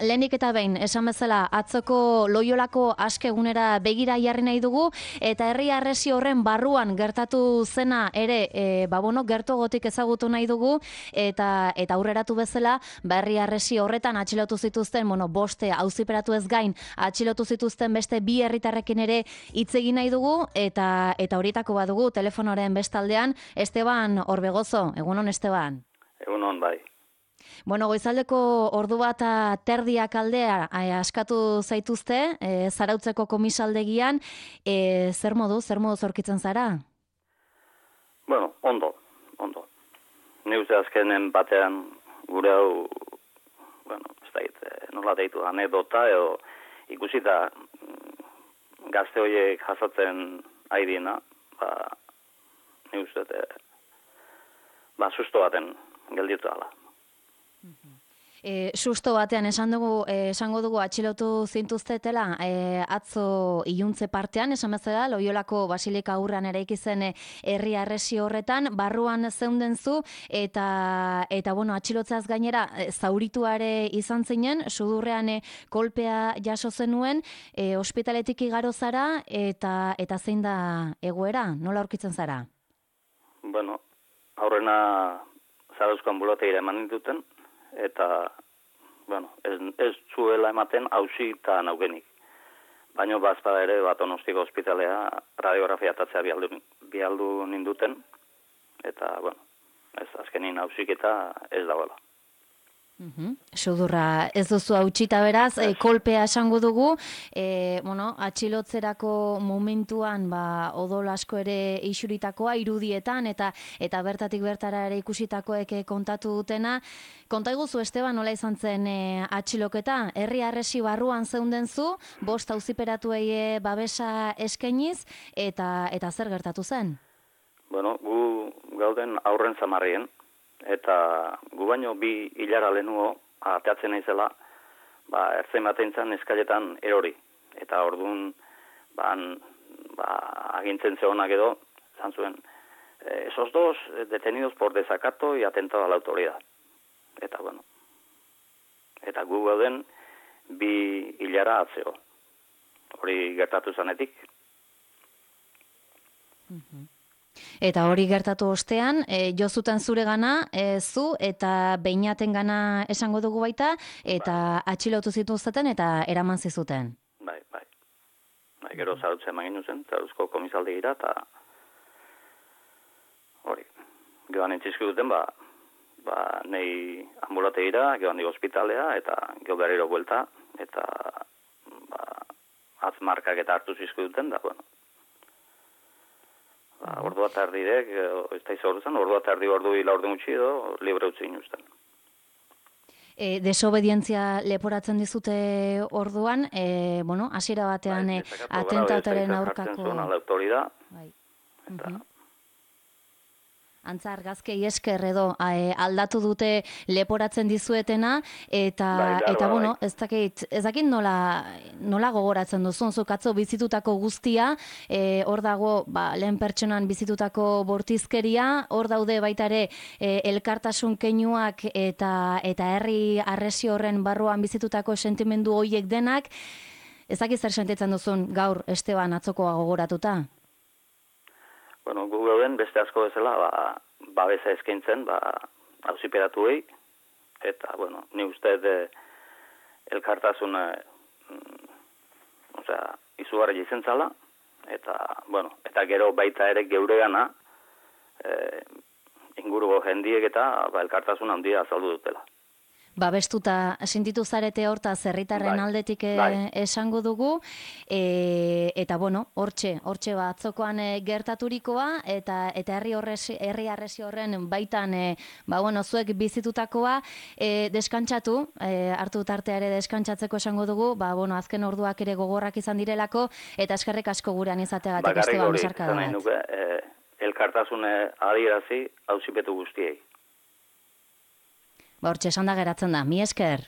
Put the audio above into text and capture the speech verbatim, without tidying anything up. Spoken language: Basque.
lehenik eta behin, esan bezala, atzoko Loiolako askegunera begira jarri nahi dugu, eta herri harresi horren barruan gertatu zena ere, e, ba bueno, gertuagotik ezagutu nahi dugu, eta eta aurreratu bezala, ba herri harresi horretan atxilotu zituzten, bueno, boste auziperatu ez gain, atxilotu zituzten beste bi herritarrekin ere hitz egin nahi dugu, eta eta horietako badugu telefonoren bestaldean, Esteban Orbegozo. Egunon, Esteban. Egunon, bai. Bueno, goizaldeko ordu bat terdiak aldea eh, askatu zaituzte, eh, Zarautzeko komisaldegian, eh, zer modu, zer modu zorkitzen zara? Bueno, ondo, ondo. Ni uste azkenen batean gure hau, bueno, ez da git, nola deitu, anekdota edo ikusita gazte horiek jasatzen airiena, ba, ni uste, ba, susto baten gelditu ala. E, susto batean esan dugu, e, esango dugu atxilotu zintuztetela e, atzo iluntze partean, esan bezala, Loiolako Basilika aurrean eraiki zen herri harresi horretan, barruan zeunden zu, eta, eta bueno, atxilotzeaz gainera, e, zaurituare izan zinen, sudurrean e, kolpea jaso zenuen, e, ospitaletik igaro zara, eta, eta zein da egoera, nola aurkitzen zara? Bueno, aurrena Zarauzko ambulategira eman dituten, eta, bueno, ez, ez zuela ematen hausi eta naugenik. Baina bazpada ere, bat Donostiko ospitalea radiografia atatzea bialdu, bialdu ninduten, eta, bueno, ez azkenin hausik eta ez dagoela. Uhum. Sudurra ez duzu hautsita beraz, e, kolpea esango dugu, e, bueno, atxilotzerako momentuan ba, odol asko ere isuritakoa irudietan, eta eta bertatik bertara ere ikusitakoek kontatu dutena. Konta iguzu, Esteban, nola izan zen e, atxiloketa? Herri harresi barruan zeunden zu, bost auziperatuei babesa eskainiz, eta, eta zer gertatu zen? Bueno, gu gauden aurren zamarrien, eta gu baino bi hilara lehenuo ateatzen naizela, ba, ertzen bateintzan eskaletan erori. Eta orduan, ba, ba, agintzen zehonak edo, zan zuen, esos dos detenidos por desacato y atentado a la autoridad. Eta, bueno, eta gu gauden bi hilara atzeo. Hori gertatu zanetik. Mhm. Eta hori gertatu ostean, e, jo zuten zure gana, e, zu eta beinaten gana esango dugu baita, eta bai, atxilotu zituzten eta eraman zizuten. Bai, bai. Bai, gero Zarautzen maginu zen, Zarauzko komisaldegira, eta hori, gehan entzizki duten, ba, ba, nei ambulategira, gehan dik ospitalea, eta geho berriro buelta, eta ba, atzmarkak eta hartu zizki duten, da, bueno, Ba, ordu bat ardidek, ez da izan ordu ordu bat ardi ordu hila ordu gutxi edo, libre utzi inuzten. E, desobedientzia leporatzen dizute orduan, e, bueno, hasiera batean bai, atentatoren aurkako... Bai, autoridad. Bai. Eta... Uh-huh. Antza argazkei esker edo e, aldatu dute leporatzen dizuetena, eta, bai, eta bai. Bueno, ez dakit, ez dakit nola, nola gogoratzen duzun, zuk atzo bizitutako guztia, e, hor dago, ba, lehen pertsonan bizitutako bortizkeria, hor daude baita ere e, elkartasun keinuak eta, eta herri harresi horren barruan bizitutako sentimendu horiek denak, ez dakit zer sentitzen duzun gaur, Esteban, atzokoa gogoratuta? Bueno, Googleen beste asko bezala, ba, babesa eskaintzen, ba, auziperatuei, eta, bueno, ni uste de elkartasun, mm, osea, izugarri izan zala, eta, bueno, eta gero baita ere geuregana, e, inguruko jendiek eta ba, elkartasun handia azaldu dutela. Babestuta sentitu zarete horta zerritarren bai, aldetik e, bai. esango dugu, e, eta bueno, hortxe, hortxe batzokoan e, gertaturikoa, eta eta herri horresi, herri harresi horren baitan, e, ba bueno, zuek bizitutakoa, e, deskantsatu, e, hartu tartea ere deskantsatzeko esango dugu, ba bueno, azken orduak ere gogorrak izan direlako, eta eskerrik asko gurean izateagatik, Esteban, besarka da. Bakarrik hori, e, elkartasune adierazi auzipetu guztiei. Ba, hortxe esan da geratzen da, mi esker.